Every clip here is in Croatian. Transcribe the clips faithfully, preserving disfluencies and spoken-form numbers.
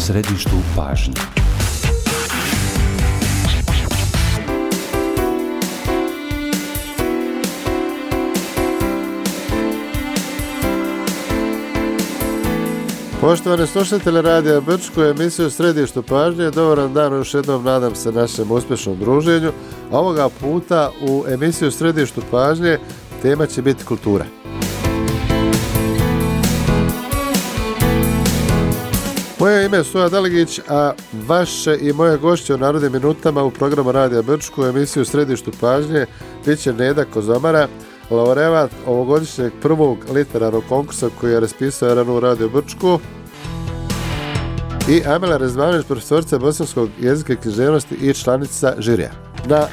središtu pažnje. Poštovani slušatelji Radija Brčko, emisiju Središtu pažnje, dobar dan, još jednom nadam se našem uspješnom druženju. A ovoga puta u emisiju Središtu pažnje tema će biti kultura. Moje ime je Suja Daligić, a vaše i moje gošće u Narodnim minutama u programu Radija Brčko u emisiju Središtu pažnje bit će Neda Kozomara, laureat ovogodišnjeg prvog literarnog konkursa koji je raspisao R N U Radio Brčko, i Amela Rezvanović, profesorica bosanskog jezika i književnosti i članica žirija. Na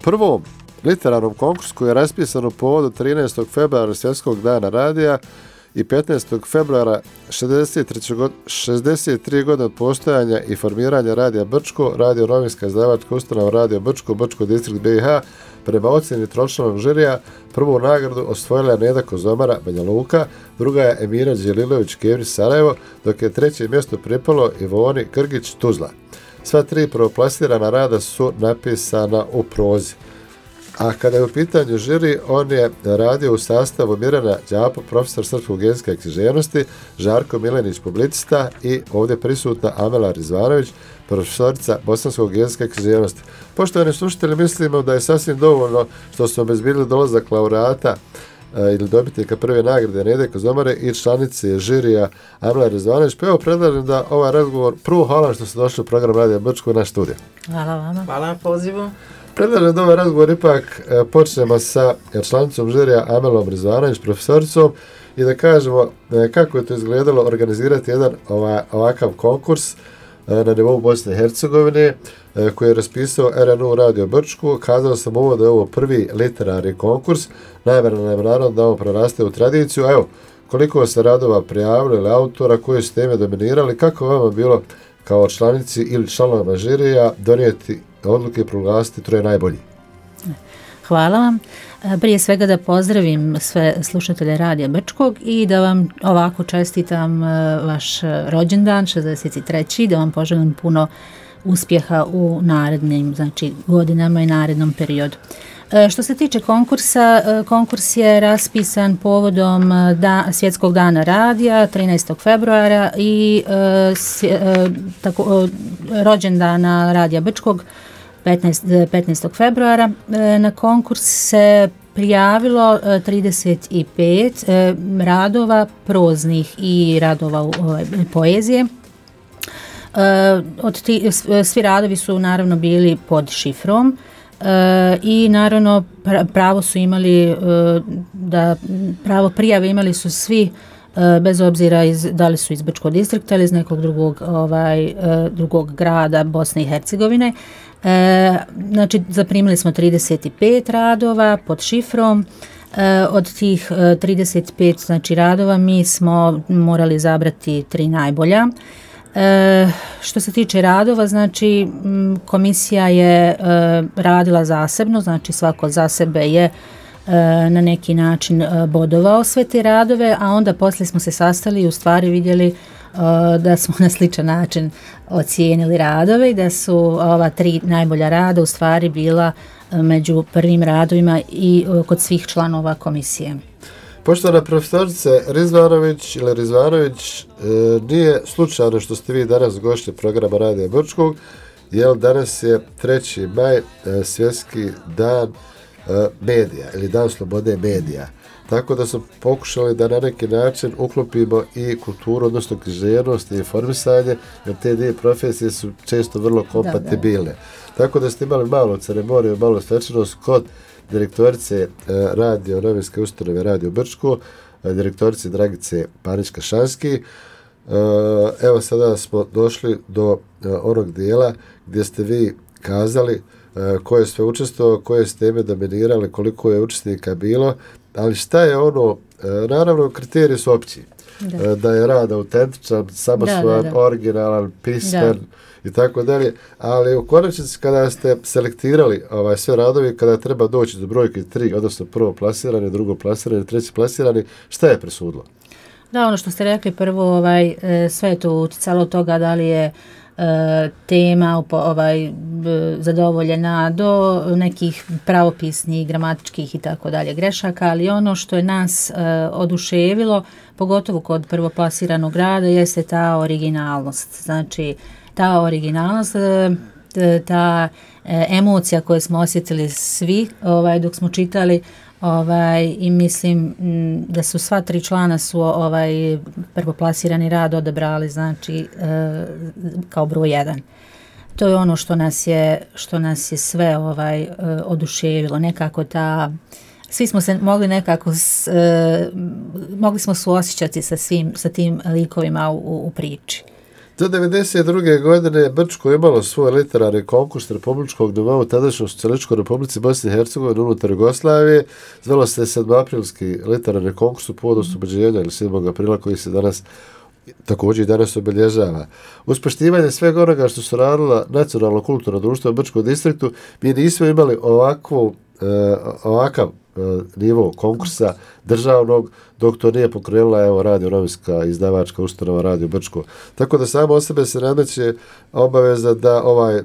prvom literarnom konkursu koji je raspisan u povodu trinaestog februara Svjetskog dana radija i petnaestog februara šezdeset tri godine od postojanja i formiranja Radija Brčko, radio novinska izdavačka ustanova Radio Brčko, Brčko distrikt B i H, prema ocjeni tročlanog žirija, prvu nagradu osvojila Neda Kozomara, Banja Luka, druga je Emira Đelilović Kevrić, Sarajevo, dok je treće mjesto pripalo Ivoni Krgić, Tuzla. Sva tri prvoplasirana rada su napisana u prozi. A kada je u pitanju žiri, on je radio u sastavu Mirjana Đapo, profesor srpskog jezika i književnosti, Žarko Milenić, publicista, i ovdje prisutna Amela Rezvanović, profesorica bosanskog jezika i književnosti. Poštovani slušatelji, mislimo da je sasvim dovoljno što smo obezbjedili dolazak laureata e, ili dobitnika prve nagrade Nede Kozomare i članice žirija Amela Rezvanović. Pa evo, predlažem da ovaj razgovor, prvo hvala što ste došli u program Radija Brčko u naš studio. Hvala vama. Hvala na pozivu. Predlažem da ovaj razgovor ipak e, počnemo sa članicom žirija Amelom Rezvanović, profesoricom, i da kažemo e, kako je to izgledalo organizirati jedan ova, ovakav konkurs e, na nivou Bosne i Hercegovine e, koji je raspisao R N U Radio Brčko. Kazao sam ovo da je ovo prvi literarni konkurs, najmjerno nam je naravno da ovo preraste u tradiciju. Evo, koliko se radova prijavili ili autora, koje su teme dominirali, kako vama bilo kao članici ili članovima žirija donijeti odluke i proglasiti troje najbolji? Hvala vam. Prije svega da pozdravim sve slušatelje Radija Brčkog i da vam ovako čestitam vaš rođendan, šezdeset treći da vam poželim puno uspjeha u narednim, znači, godinama i narednom periodu. Što se tiče konkursa, konkurs je raspisan povodom da, Svjetskog dana radija trinaestog februara i s, tako, rođendana Radija Brčkog petnaestog februara. Na konkurs se prijavilo trideset pet radova proznih i radova poezije. Od ti, svi radovi su naravno bili pod šifrom. E, i naravno pravo su imali e, da pravo prijave imali su svi e, bez obzira iz, da li su iz Brčkog distrikta ili iz nekog drugog ovaj e, drugog grada Bosne i Hercegovine. E, znači zaprimili smo trideset pet radova pod šifrom. E, od tih e, trideset pet znači radova mi smo morali izabrati tri najbolja. E, što se tiče radova, znači komisija je e, radila zasebno, znači svako za sebe je e, na neki način e, bodovao sve te radove, a onda poslije smo se sastali i u stvari vidjeli e, da smo na sličan način ocijenili radove i da su ova tri najbolja rada u stvari bila e, među prvim radovima i e, kod svih članova komisije. Poštovana profesorice Rezvanović ili Rezvanović, e, nije slučajno što ste vi danas gošće programa Radija Brčkog, jer danas je treći maj, e, svjetski dan e, medija ili dan slobode medija. Tako da smo pokušali da na neki način uklopimo i kulturu, odnosno književnost i informisanje, jer te dvije profesije su često vrlo kompatibilne. Da, da. Tako da ste imali malo ceremoniju, malo svečanost kod direktorice e, radio novinske ustanove Radio Brčko, e, direktorice Dragice Panić-Kašanski. E, evo sada smo došli do e, onog dijela gdje ste vi kazali e, ko je sve učestvovao, koje ste teme dominirali, koliko je učesnika bilo, ali šta je ono, e, naravno kriteriji su opći. Da. E, da je rad autentičan, samosvojan, da, da, da. originalan, pismen, da. i tako dalje, ali u konačnici kada ste selektirali ovaj, sve radovi, kada treba doći do brojke tri, odnosno prvo plasirani, drugo plasirani, treći plasirani, šta je presudilo? Da, ono što ste rekli prvo, ovaj, sve je to utjecalo od toga da li je tema ovaj, zadovoljena do nekih pravopisnih, gramatičkih i tako dalje grešaka, ali ono što je nas oduševilo, pogotovo kod prvoplasiranog rada, jeste ta originalnost. Znači, ta originalnost, ta emocija koju smo osjetili svi ovaj, dok smo čitali, Ovaj, i mislim da su sva tri člana su ovaj prvoplasirani rad odabrali, znači e, kao broj jedan. To je ono što nas je što nas je sve ovaj e, oduševilo, nekako ta svi smo se mogli nekako s, e, mogli smo suosjećati sa svim sa tim likovima u, u priči. Do devedeset druge godine Brčko je imalo svoj literarni konkurs republičkog nivoa u tadašnjoj Socijalističkoj Republici Bosne i Hercegovine unutar Jugoslavije. Zvalo se sedmoaprilski literarni konkurs u povodu oslobođenja ili sedmog aprila koji se danas također i danas obilježava. Uz poštivanje svega onoga što su radila nacionalno kulturno društvo u Brčkom distriktu, mi nismo imali ovakvu, eh, ovakav nivo konkursa državnog, dok to nije pokrenula evo radio novinska izdavačka ustanova Radio Brčko. Tako da samo o sebe se nameće obaveza da ovaj e,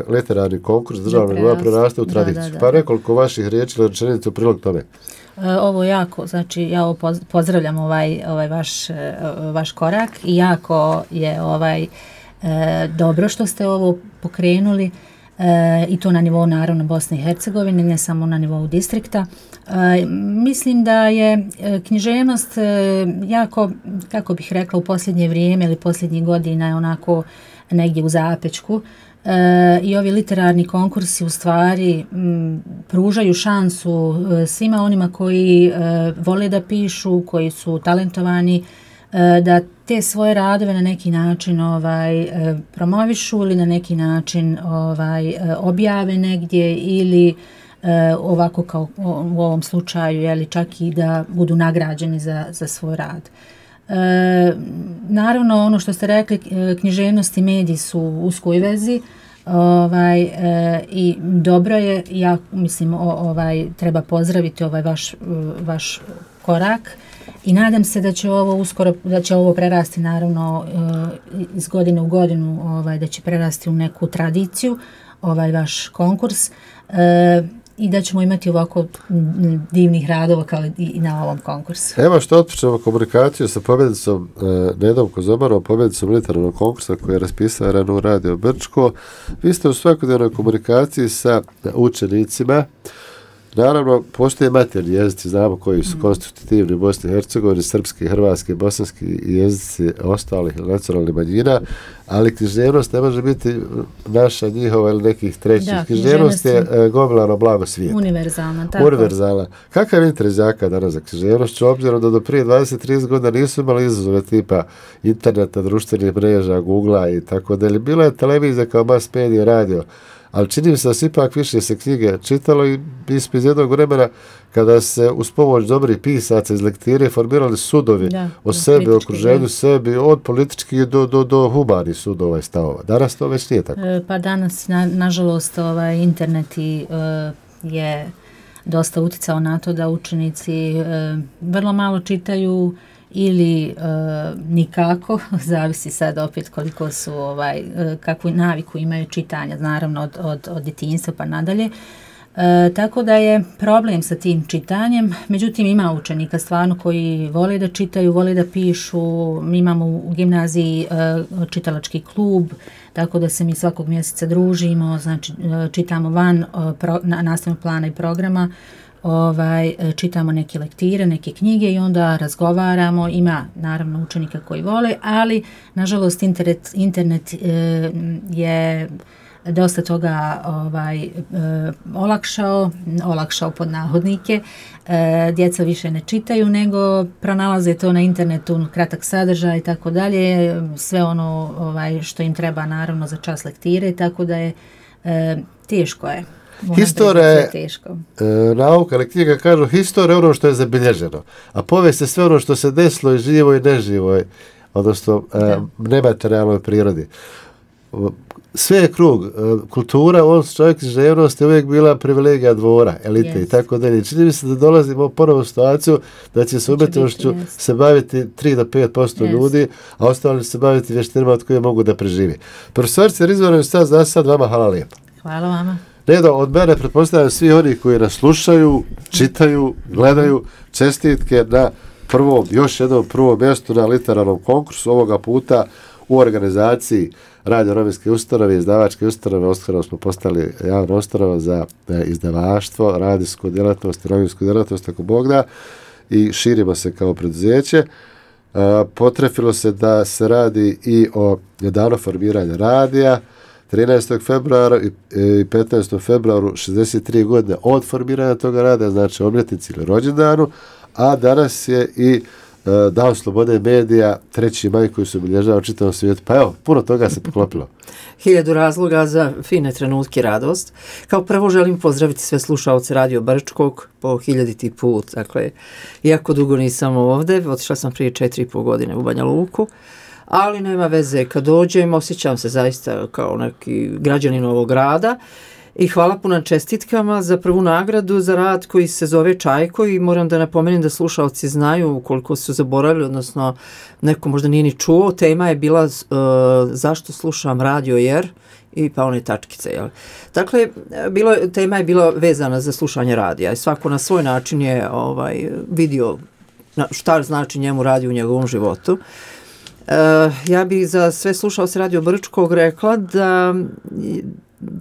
literarni konkurs državnog nivoa preraste u tradiciju. Da, da, da. Pa nekoliko vaših riječi ili rečenica u prilog tome. Ovo jako, znači ja ovo pozdravljam ovaj, ovaj vaš, vaš korak i jako je ovaj e, dobro što ste ovo pokrenuli. E, i to na nivou naravno Bosne i Hercegovine, ne samo na nivou distrikta. E, mislim da je književnost e, jako, kako bih rekla, u posljednje vrijeme ili posljednjih godina je onako negdje u zapečku. E, I ovi literarni konkursi u stvari m, pružaju šansu e, svima onima koji e, vole da pišu, koji su talentovani, e, da te svoje radove na neki način ovaj e, promovišu ili na neki način ovaj e, objave negdje ili e, ovako kao u ovom slučaju je li čak i da budu nagrađeni za za svoj rad. E, naravno ono što ste rekli, književnost i mediji su u uskoj vezi. Ovaj e, i dobro je, ja mislim o, ovaj treba pozdraviti ovaj vaš vaš korak. I nadam se da će ovo uskoro, da će ovo prerasti naravno iz godine u godinu, ovaj, da će prerasti u neku tradiciju, ovaj vaš konkurs e, i da ćemo imati ovako divnih radova kao i na ovom konkursu. Evo što otpočnemo komunikaciju sa pobjednicom e, Nedom Kozomarom, pobjednicom literarnog konkursa koji je raspisao rano u Radio Brčko. Vi ste u svakodnevnoj komunikaciji sa učenicima. Naravno, postoje materni jezici, znamo koji su konstitutivni u Bosni i Hercegovini, srpski, hrvatski, bosanski jezici ostalih nacionalnih manjina, ali književnost ne može biti naša, njihova ili nekih trećih. Da, književnost je e, gomilano blago svijeta. Univerzalna, tako. Univerzalna. Kakav je interes đaka danas za književnošću, obzirom da do prije dvadeset do trideset godina nisu imali izazove tipa interneta, društvenih mreža, Googlea i tako da. Bila je televizija kao mass media, radio, ali čini mi se da se ipak više se knjige čitalo i iz jednog vremena kada se uz pomoć dobrih pisaca iz lektire formirali sudovi da, o sebi, o okruženju da. Sebi, od političkih do, do, do humanih sudova i stavova. Danas to već nije tako. E, pa danas, na, nažalost, ovaj, internet i, e, je dosta uticao na to da učenici e, vrlo malo čitaju ili e, nikako, zavisi sad opet koliko su, ovaj, e, kakvu naviku imaju čitanja, naravno od, od, od djetinjstva pa nadalje. E, tako da je problem sa tim čitanjem, međutim ima učenika stvarno koji vole da čitaju, vole da pišu. Mi imamo u gimnaziji e, čitalački klub, tako da se mi svakog mjeseca družimo, znači e, čitamo van e, pro, na, nastavnog plana i programa, ovaj, čitamo neke lektire, neke knjige i onda razgovaramo. Ima naravno učenika koji vole, ali nažalost internet, internet e, je dosta toga ovaj, e, olakšao, olakšao pod nahodnike. E, djeca više ne čitaju, nego pronalaze to na internetu, kratak sadržaj i tako dalje, sve ono ovaj, što im treba naravno za čas lektire, tako da je e, teško je. Historija je e, nauka, ali knjiga kažu historija je ono što je zabilježeno, a povijest je sve ono što se desilo i živo i neživo, odnosno e, nematerijalnoj prirodi. sve je krug. Kultura, on čovjek književnost je uvijek bila privilegija dvora, elite yes. i tako dalje. Čini mi se da dolazimo u ponovu situaciju da će se umjetnošću yes. se baviti tri do pet posto yes. ljudi, a ostali se baviti vještinama od koje mogu da preživi. Profesorica Rizvanović, sad za sad vama hvala lijepo. Hvala vama. Nedo, od mene pretpostavljam svi oni koji nas slušaju, čitaju, gledaju, čestitke na prvom, još jednom prvom mjestu na literarnom konkursu, ovoga puta u organizaciji Radio novinske ustanove, izdavačke ustanove. Uskoro smo postali javna ustanova za izdavaštvo, radijsku djelatnost i novinsku djelatnost, ako Bog da, i širimo se kao preduzeće. Potrefilo se da se radi i o danu formiranja radija, trinaestog februara i petnaestog februaru, šezdeset tri godine od formiranja toga rada, znači obljetnici ili rođendanu, a danas je i uh, Dan slobode medija, treći maj koji se obilježava u čitavom svijetu. Pa evo, puno toga se poklopilo. Hiljadu razloga za fine trenutke radost. Kao prvo želim pozdraviti sve slušaoce Radio Brčkog po hiljaditi put. Dakle, iako dugo nisam ovdje, otišla sam prije četiri i pol godine u Banja Luku, ali nema veze, kad dođem osjećam se zaista kao neki građanin ovog grada i hvala puno čestitkama za prvu nagradu za rad koji se zove Čajko i moram da napomenem da slušalci znaju koliko su zaboravili, odnosno neko možda nije ni čuo, tema je bila uh, zašto slušam radio jer i pa one tačkice. Jel? Dakle, bilo, tema je bila vezana za slušanje radija i svako na svoj način je ovaj, vidio šta znači njemu radio u njegovom životu. Uh, ja bih za sve slušalce Radio Brčkog rekla da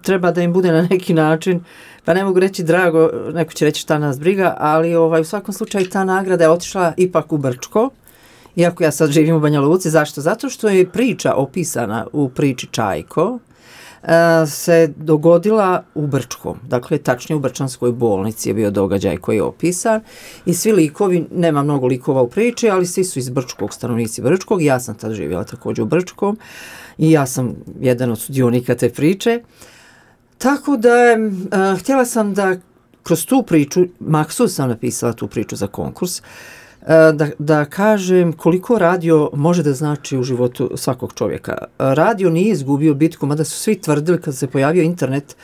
treba da im bude na neki način, pa ne mogu reći drago, neko će reći šta nas briga, ali ovaj, u svakom slučaju ta nagrada je otišla ipak u Brčko, iako ja sad živim u Banja Luci. Zašto? Zato što je priča opisana u priči Čajko, se dogodila u Brčkom, dakle tačnije u Brčanskoj bolnici je bio događaj koji je opisan i svi likovi, nema mnogo likova u priči, ali svi su iz Brčkog, stanovnici Brčkog, ja sam tad živjela također u Brčkom i ja sam jedan od sudionika te priče, tako da uh, htjela sam da kroz tu priču, maksus sam napisala tu priču za konkurs, Da, da kažem koliko radio može da znači u životu svakog čovjeka. Radio nije izgubio bitku, mada su svi tvrdili kad se pojavio internet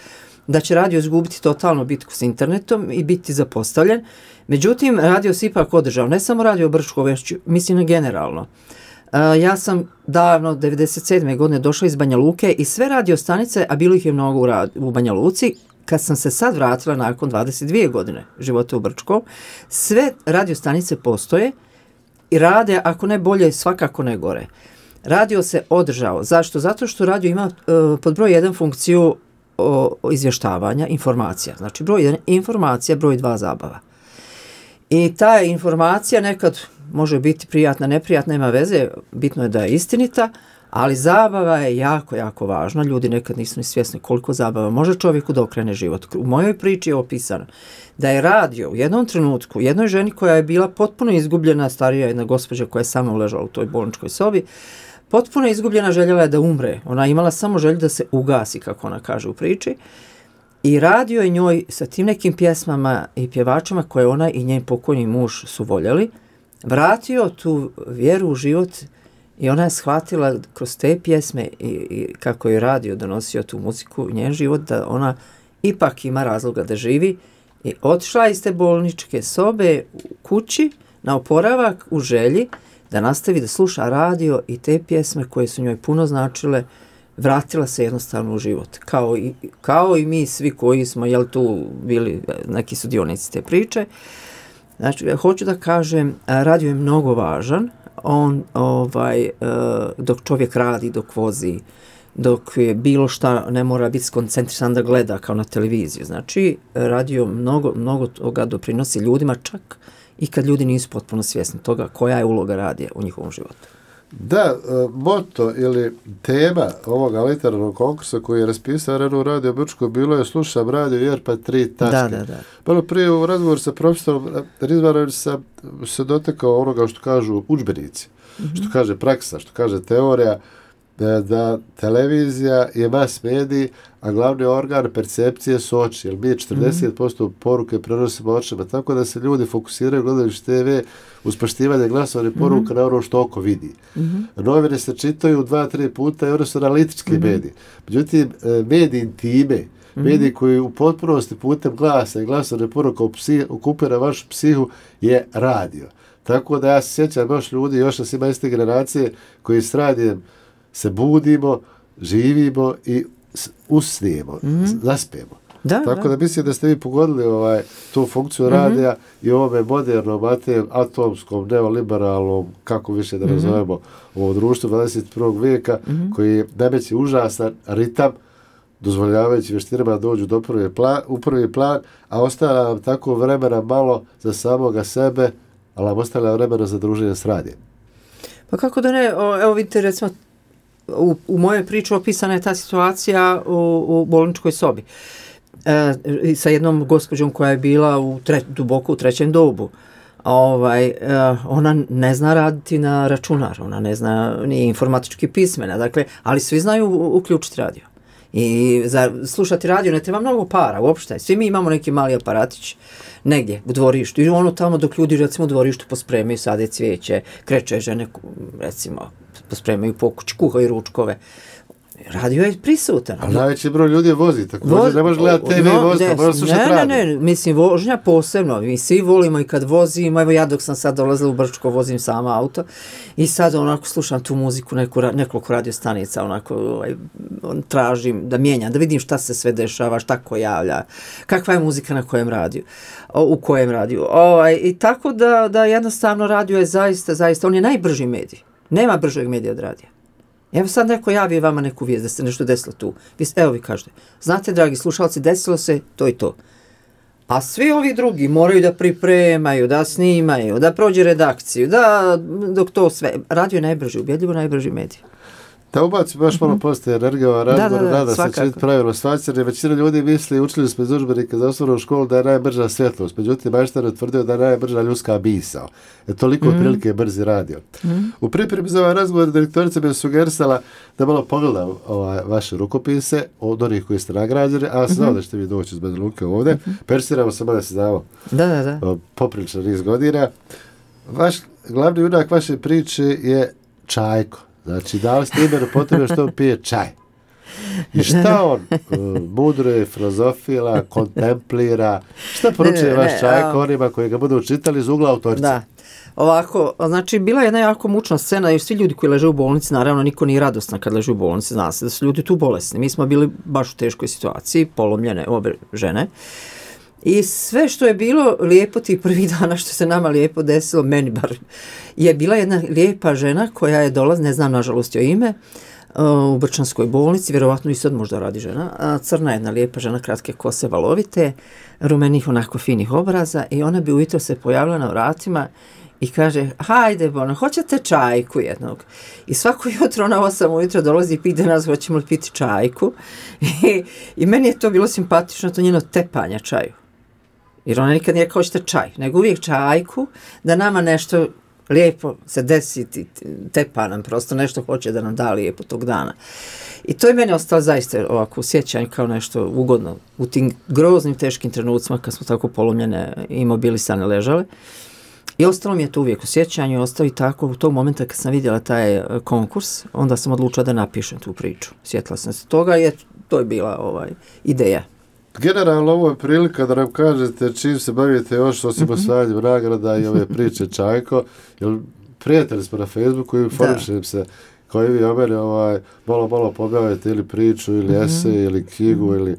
da će radio izgubiti totalno bitku s internetom i biti zapostavljen. Međutim, radio se ipak održao. Ne samo Radio Brčko, već mislim generalno. Ja sam davno, devedeset sedme godine došla iz Banja Luke i sve radio stanice, a bilo ih je mnogo u, rad, u Banja Luci, kad sam se sad vratila nakon dvadeset dvije godine života u Brčkom, sve radio stanice postoje i rade, ako ne bolje, svakako ne gore. Radio se održao. Zašto? Zato što radio ima uh, pod broj jedan funkciju o, o izvještavanja, informacija. Znači broj jedan informacija, broj dva zabava. I ta informacija nekad može biti prijatna, neprijatna, nema veze, bitno je da je istinita, ali zabava je jako, jako važna. Ljudi nekad nisu ni svjesni koliko zabava može čovjeku da okrene život. U mojoj priči je opisano da je radio u jednom trenutku jednoj ženi koja je bila potpuno izgubljena, starija jedna gospođa koja je samo ležala u toj bolničkoj sobi, potpuno izgubljena, željela je da umre. Ona imala samo želju da se ugasi, kako ona kaže u priči. I radio je njoj sa tim nekim pjesmama i pjevačima koje ona i njen pokojni muž su voljeli, vratio tu vjeru u život. I ona je shvatila kroz te pjesme i, i kako je radio donosio tu muziku u njen život, da ona ipak ima razloga da živi i otišla iz te bolničke sobe u kući na oporavak u želji da nastavi da sluša radio i te pjesme koje su njoj puno značile, vratila se jednostavno u život. Kao i, kao i mi svi koji smo jel, tu bili neki sudionici te priče. Znači, hoću da kažem, radio je mnogo važan. On, ovaj, dok čovjek radi, dok vozi, dok je bilo šta ne mora biti skoncentrisan da gleda kao na televiziju. Znači, radio mnogo, mnogo toga doprinosi ljudima, čak i kad ljudi nisu potpuno svjesni toga koja je uloga radija u njihovom životu. Da, moto ili tema ovoga literarnog konkursa koji je raspisao Renu Radio Brčko bilo je slušam radio jer pa tri tačke. Da, da, da. Malo prije u razgovoru sa profesorom Rizvanović sam se dotekao onoga što kažu udžbenici, mm-hmm. što kaže praksa, što kaže teorija. da televizija je mass medij, a glavni organ percepcije su oči, jer mi četrdeset posto mm-hmm. poruke prenosimo očima, tako da se ljudi fokusiraju gledajući te ve uz poštivanje glasovne poruka mm-hmm. na ono što oko vidi. Mm-hmm. Novine se čitaju dva, tri puta i one su analitički mm-hmm. mediji. Međutim, mediji intime, mm-hmm. mediji koji u potpunosti putem glasa i glasovne poruka okupira vašu psihu je radio. Tako da ja se sjećam još ljudi, još nas ima iste generacije koji s radijem se budimo, živimo i usnijemo, mm-hmm. zaspijemo. Da, Tako da. da mislim da ste vi pogodili ovaj, tu funkciju mm-hmm. radija i ovome modernom, atomskom, neoliberalnom, kako više da nazovemo, mm-hmm. ovo društvo dvadeset prvog vijeka, mm-hmm. koji nameće užasan ritam, dozvoljavajući vještinama dođu do prvi plan, u prvi plan, a ostavlja nam tako vremena malo za samoga sebe, ali nam ostavlja vremena za druženje s radijem. Pa kako da ne, o, evo vidite recimo, u, u mojoj priči opisana je ta situacija u, u bolničkoj sobi. E, sa jednom gospođom koja je bila u tre, duboko u trećem dobu. Ovaj, e, ona ne zna raditi na računar, ona ne zna ni informatički pismena, dakle, ali svi znaju uključiti radio. I za slušati radio ne treba mnogo para uopšte. Svi mi imamo neki mali aparatić negdje u dvorištu i ono tamo dok ljudi recimo u dvorištu pospremaju, sade cvijeće, kreće žene recimo pospremaju pokuć, kuhaju ručkove. Radio je prisutan. Ali najveći broj ljudi vozi, tako vozi, ne možeš gledati te ve no, vozi, možeš slušati radio. Ne, ne, ne, mislim vožnja posebno, mi svi volimo i kad vozimo, evo ja dok sam sad dolazila u Brčko, vozim sama auto i sad onako slušam tu muziku, neku, nekoliko radio stanica, onako ovaj, on, tražim da mijenjam, da vidim šta se sve dešava, šta ko javlja, kakva je muzika na kojem radiju, u kojem radiju. Ovaj, I tako da, da jednostavno radio je zaista, zaista, on je najbrži medij. Nema bržeg medija od radija. Evo sad neko javi vama neku vijest da se nešto desilo tu. Vi, evo vi kažete, znate dragi slušalci, desilo se to i to. A svi ovi drugi moraju da pripremaju, da snimaju, da prođe redakciju, da dok to sve. Radio je najbrži, ubjedljivo najbrži medij. Da ubaci baš malo postoje energijova razgovor, da, da, da se će biti pravilno shvaćati, jer većina ljudi misli, učili smo iz udžbenika za osnovnu školu da je najbrža svjetlost, međutim majstor je tvrdio da je najbrža ljudska misao. Je toliko mm-hmm. otprilike je brzi radio. Mm-hmm. U pripremi za ovaj razgovor direktorica mi je sugerisala da malo pogledam ovaj, vaše rukopise od onih koji ste nagrađeni, a ja sam znao mm-hmm. da ćete vi doći iz Banja Luke ovdje. Mm-hmm. Persiramo se, da se znamo da, da, da. poprilično niz godina. Vaš glavni junak vaše priče je Čajko. Znači, da li ste imenu potrebno što on pije čaj? I šta on uh, mudre, filozofila, kontemplira? Šta poručuje vaš Čajko onima koji ga budu čitali iz ugla autorice? Da. Ovako, znači, bila je jedna jako mučna scena, jer svi ljudi koji leže u bolnici, naravno, niko nije radosna kad leže u bolnici, zna se da su ljudi tu bolesni. Mi smo bili baš u teškoj situaciji, polomljene obe žene. I sve što je bilo lijepo tih prvih dana, što se nama lijepo desilo, meni bar, je bila jedna lijepa žena koja je dolaz, ne znam nažalost joj ime, u Brčanskoj bolnici, vjerovatno i sad možda radi žena, crna jedna lijepa žena, kratke kose, valovite, rumenih onako finih obraza i ona bi ujutro se pojavila na vratima i kaže, hajde, Bona, hoćete čajku jednog? I svako jutro na osam ujutro dolazi i pide nas, hoćemo li piti čajku? I, i meni je to bilo simpatično, to njeno tepanje čaju. Jer ona nikad nije kao hoćete čaj, nego uvijek čajku, da nama nešto lijepo se desi, tepa nam prosto nešto hoće da nam da lijepo tog dana. I to je meni ostalo zaista ovako u sjećanju kao nešto ugodno u tim groznim, teškim trenucima kad smo tako polomljene i imobilisane ležale. I ostalo mi je to uvijek u sjećanju i ostalo i tako u tog momenta kad sam vidjela taj konkurs, onda sam odlučila da napišem tu priču. Sjetila sam se toga i to je bila ovaj, ideja. Generalno ovo je prilika da nam kažete čim se bavite još osim mm-hmm. osvajanjem nagrada i ove priče Čajko, jer prijatelji smo na Facebooku i informišem se kao i vi o meni, ovaj, malo malo pobjavite ili priču ili mm-hmm. esej ili knjigu mm-hmm. ili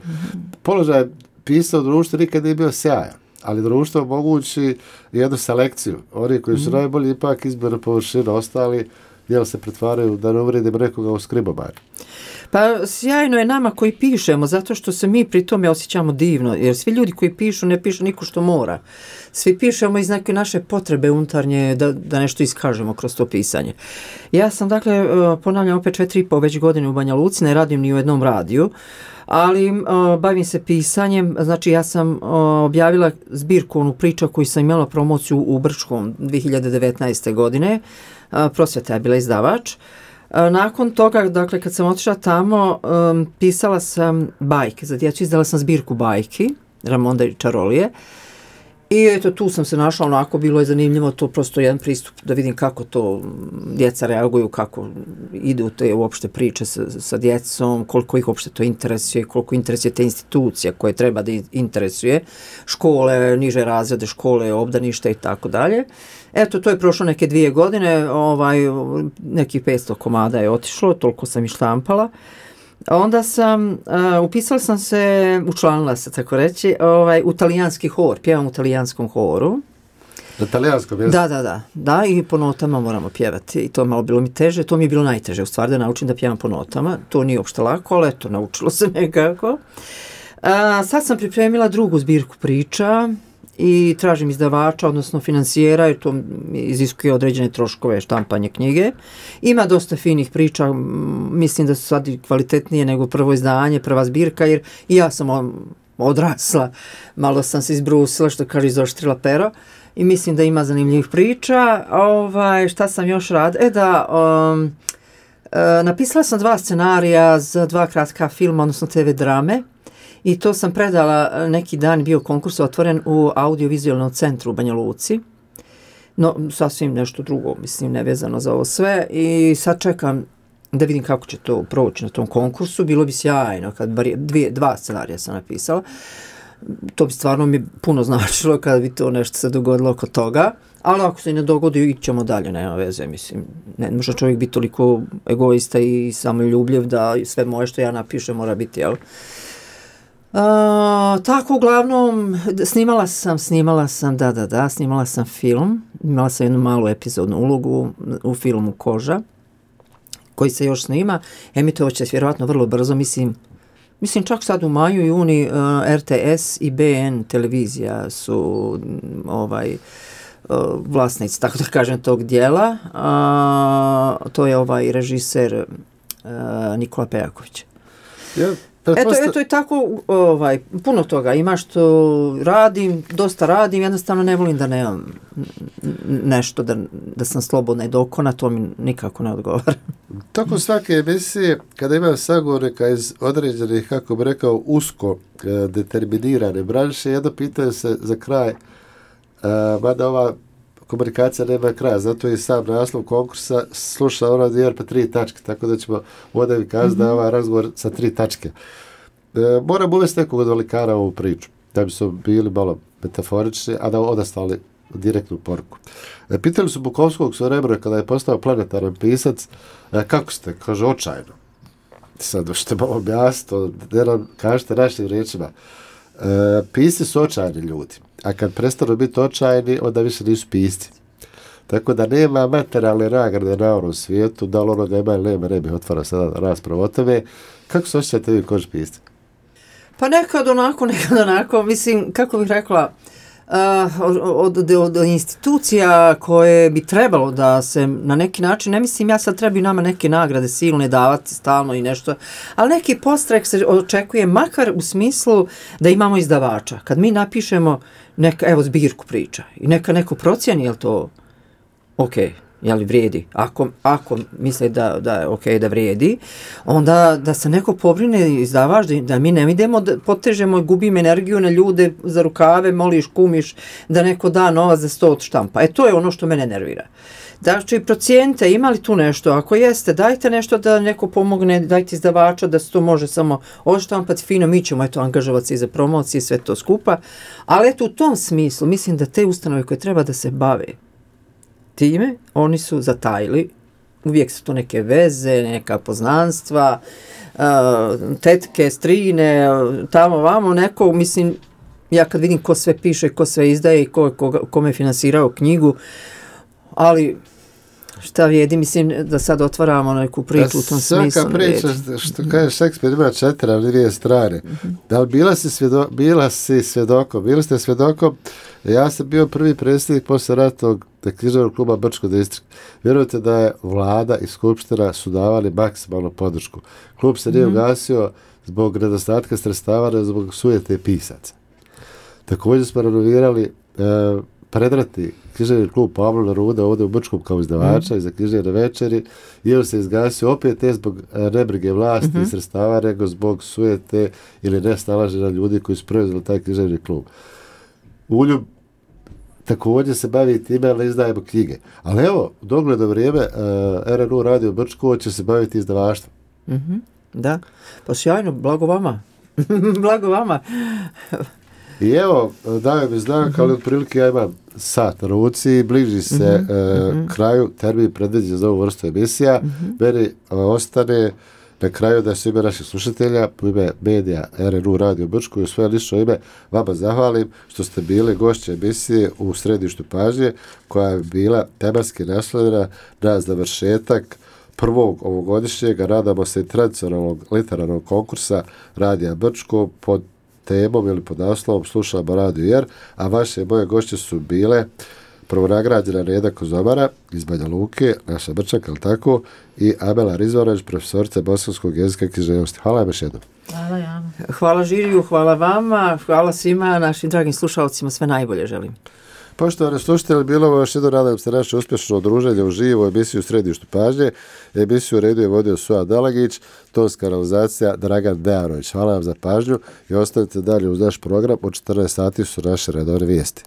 položaj pisao društvo nikad nije bio sjajan, ali društvo omogući jednu selekciju. Oni koji su mm-hmm. najbolji ipak izbore površine, ostali jel se pretvaraju da ne uvrijedimo nekoga u skribomar. Pa sjajno je nama koji pišemo, zato što se mi pri tome osjećamo divno, jer svi ljudi koji pišu ne pišu niko što mora. Svi pišemo iz neke naše potrebe unutarnje da, da nešto iskažemo kroz to pisanje. Ja sam, dakle, ponavljam opet četiri i po već godine u Banja Luci, ne radim ni u jednom radiju, ali o, bavim se pisanjem, znači ja sam o, objavila zbirku onu priča koju sam imala promociju u Brčkom dvije hiljade devetnaeste godine, a, Prosvjeta je bila izdavač. Nakon toga, dakle, kad sam otišla tamo, um, pisala sam bajke za djecu, izdala sam zbirku bajki, Ramonda i čarolije. I eto, tu sam se našla, onako bilo je zanimljivo, to prosto jedan pristup da vidim kako to djeca reaguju, kako idu te uopšte priče sa, sa djecom, koliko ih uopšte to interesuje, koliko interesuje te institucije koje treba da interesuje, škole, niže razrede, škole, obdanište i tako dalje. Eto, to je prošlo neke dvije godine, ovaj, nekih petsto komada je otišlo, toliko sam i štampala. Onda sam, uh, upisala sam se, učlanila se, tako reći, ovaj, u talijanski hor, pjevam u talijanskom horu. Na talijanskom mjestu? Da, da, da, da, i po notama moramo pjevati. I to je malo bilo mi teže, to mi je bilo najteže, u stvari da naučim da pjevam po notama. To nije uopšte lako, ali eto, naučilo se nekako. Uh, sad sam pripremila drugu zbirku priča i tražim izdavača, odnosno financijera, jer to iziskuje određene troškove štampanje knjige. Ima dosta finih priča, mislim da su sad i kvalitetnije nego prvo izdanje, prva zbirka, jer i ja sam odrasla, malo sam se izbrusila, što kaže, izoštrila pero, i mislim da ima zanimljivih priča. Ovaj, šta sam još radila? E da, um, uh, napisala sam dva scenarija za dva kratka filma, odnosno te ve drame, i to sam predala, neki dan bio konkurs otvoren u audiovizualnom centru u Banja Luci. No, sasvim nešto drugo, mislim, nevezano za ovo sve. I sad čekam da vidim kako će to proći na tom konkursu. Bilo bi sjajno, kad bar dvije, dva scenarija sam napisala. To bi stvarno mi puno značilo kada bi to nešto se dogodilo oko toga. Ali ako se ne dogodi, ićemo dalje, nema veze, mislim. Ne može čovjek biti toliko egoista i samoljubljiv da sve moje što ja napišem mora biti, jel? Uh, tako, uglavnom, snimala sam, snimala sam, da, da, da, snimala sam film, imala sam jednu malu epizodnu ulogu u filmu Koža, koji se još snima, emitovat će se vjerovatno vrlo brzo, mislim, mislim čak sad u maju i juni uh, er te es i be en televizija su ovaj, uh, vlasnici, tako da kažem, tog dijela, uh, to je ovaj režiser uh, Nikola Pejaković. Ja. Eto, eto i tako, ovaj, puno toga ima što radim, dosta radim, jednostavno ne volim da nemam nešto, da, da sam slobodna i dokona, to mi nikako ne odgovara. Tokom svake emisije, kada imam sagovornika iz određenih, kako bi rekao, usko e, determinirane branše, jedno pitanje se za kraj, e, mada ova komunikacija nema kraja, zato je sam naslov konkursa sluša ono dvije pa tri tačke, tako da ćemo ovdje mi kazati mm-hmm. da je ovaj razgovor sa tri tačke. E, moram uvesti nekog od velikara u ovu priču, da bi su bili malo metaforični, a da odastali direktnu poruku. E, pitali su Bukovskog svoje rebro kada je postao planetaran pisac, e, kako ste? Kaže, očajno. Sad, što malo objasno, da nam kažete našim riječima. E, pisci su očajni ljudi. A kad prestanu biti očajni, onda više nisu pisci. Tako da nema materijalne nagrade na ovom svijetu, da li onoga ima ili nema, ne bih otvarao sada raspravu o tome. Kako se osjećate vi koži pisci? Pa nekad onako, nekad onako, mislim, kako bih rekla, uh, od, od, od institucija koje bi trebalo da se na neki način, ne mislim ja sad trebaju nama neke nagrade silne davati stalno i nešto, ali neki podstrek se očekuje makar u smislu da imamo izdavača. Kad mi napišemo neka, evo, zbirku priča i neka neko procijeni, je li to ok, je li vrijedi? Ako, ako misle da, da je ok da vrijedi, onda da se neko pobrine izdavač, da, da mi ne idemo, da potežemo, gubimo energiju na ljude za rukave, moliš, kumiš, da neko da novac za sto od štampa. E to je ono što mene nervira. Znači, procijenite, ima li tu nešto? Ako jeste, dajte nešto da neko pomogne, dajte izdavača da se to može samo odštampati fino, mi ćemo eto angažovati se i za promocije, sve to skupa. Ali eto, u tom smislu, mislim da te ustanove koje treba da se bave time, oni su zatajili, uvijek su to neke veze, neka poznanstva, uh, tetke, strine, tamo vamo, neko, mislim, ja kad vidim ko sve piše, ko sve izdaje i ko, ko, kome je finansirao knjigu, ali šta vrijedi, mislim da sad otvaramo neku priču u tom smislu. Svaka priča, što kaže Šekspir, ima četiri, ali dvije strane. Mm-hmm. Da li bila si, svjedo, bila si svjedokom, bili ste svjedokom, ja sam bio prvi predsjednik posle ratnog književnog kluba Brčko distrikt. Vjerujete da je vlada i skupština su davali maksimalnu podršku. Klub se nije mm-hmm. ugasio zbog nedostatka sredstava, zbog sujete pisaca. Također smo renovirali e, predrati književni klub Pavla Neruda ovdje u Brčkom kao izdavača mm. i za književne večeri, i on se izgasio opet ne zbog nebrige vlasti mm-hmm. i sredstava, nego zbog sujete ili nesnalaženja ljudi koji su preuzeli taj književni klub. Uljub također se bavi time, ali izdajemo knjige. Ali evo, u dogledno vrijeme uh, R N U Radio Brčko će se baviti izdavaštvom. Mm-hmm. Da, pa sjajno, blago vama. Blago vama. I evo, daje mi znak, mm-hmm. ali otprilike ja imam sat na ruci, bliži se mm-hmm. uh, kraju, termin predviđen za ovu vrstu emisija. Mm-hmm. Meni uh, ostane na kraju da se ime naših slušatelja, u ime medija R N U Radio Brčko i u svoje lično ime vama zahvalim što ste bili gošće emisije u središtu pažnje, koja je bila tematski naslovljena na završetak prvog ovogodišnjeg, nadamo se i tradicionalnog literarnog konkursa Radija Brčko pod temom ili pod naslovom Slušamo Radio Jer, a vaše moje gošće su bile prvonagrađena Reda Kozomara iz Banja Luke, naša Brčaka, ali tako, i Amela Rizvanović, profesorica bosanskog jezika i književnosti. Hvala vam još jednom. Hvala ja. Hvala žiriju, hvala vama, hvala svima, našim dragim slušalcima, sve najbolje želim. Poštovani slušatelji, bilo vam još jedno, nadam se naše uspješno druženje u živo emisiju u središtu pažnje. Emisiju u redu je vodio Suad Dalagić, tonska realizacija Dragan Dejarović. Hvala vam za pažnju i ostavite dalje uz naš program. U četrnaest sati su naše redovne vijesti.